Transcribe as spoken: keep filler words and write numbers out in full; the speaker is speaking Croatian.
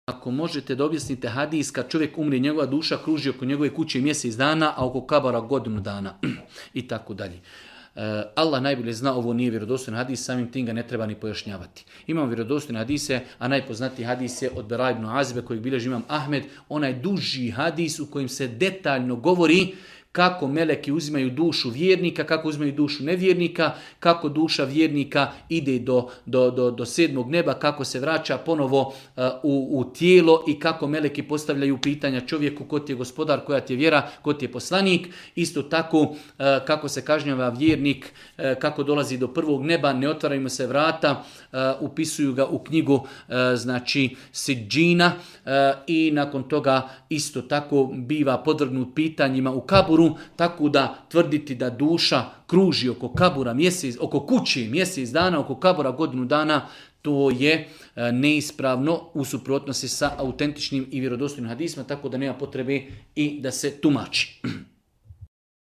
Ako možete da objasnite hadis kad čovjek umri, njegova duša kruži oko njegove kuće mjesec dana, a oko kabara godinu dana i tako dalje. Allah najbolje zna, ovo nije vjerodostojan hadis, samim tim ga ne treba ni pojašnjavati. Imamo vjerodostojne hadise, a najpoznatiji hadis je od Bera ibn Azibe kojeg bilježi imam Ahmed, onaj duži hadis u kojem se detaljno govori kako meleki uzimaju dušu vjernika, kako uzimaju dušu nevjernika, kako duša vjernika ide do, do, do, do sedmog neba, kako se vraća ponovo uh, u, u tijelo i kako meleki postavljaju pitanja čovjeku ko ti je gospodar, koja ti je vjera, ko ti je poslanik. Isto tako uh, kako se kažnjava vjernik, uh, kako dolazi do prvog neba, ne otvaraju mu se vrata, uh, upisuju ga u knjigu uh, znači Sidžina uh, i nakon toga isto tako biva podvrgnut pitanjima u kaburu. Tako da tvrditi da duša kruži oko kabura mjesec, oko kući mjesec dana, oko kabura godinu dana, to je neispravno u suprotnosti sa autentičnim i vjerodostojnim hadisima, tako da nema potrebe i da se tumači.